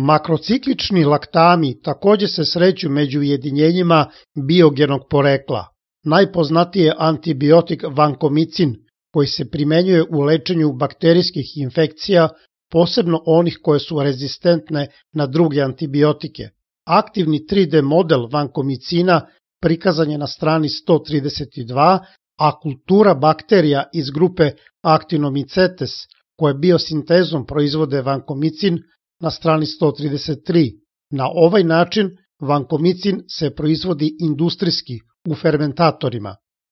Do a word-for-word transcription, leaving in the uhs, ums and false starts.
Makrociklični laktami takođe se sreću među ujedinjenjima biogenog porekla. Najpoznatiji je antibiotik vankomicin, koji se primenjuje u lečenju bakterijskih infekcija, posebno onih koje su rezistentne na druge antibiotike. Aktivni tri D model vankomicina prikazan je na strani sto trideset dva, a kultura bakterija iz grupe Actinomycetes, koje biosintezom proizvode vankomicin, na strani sto trideset tri. Na ovaj način vankomicin se proizvodi industrijski u fermentatorima.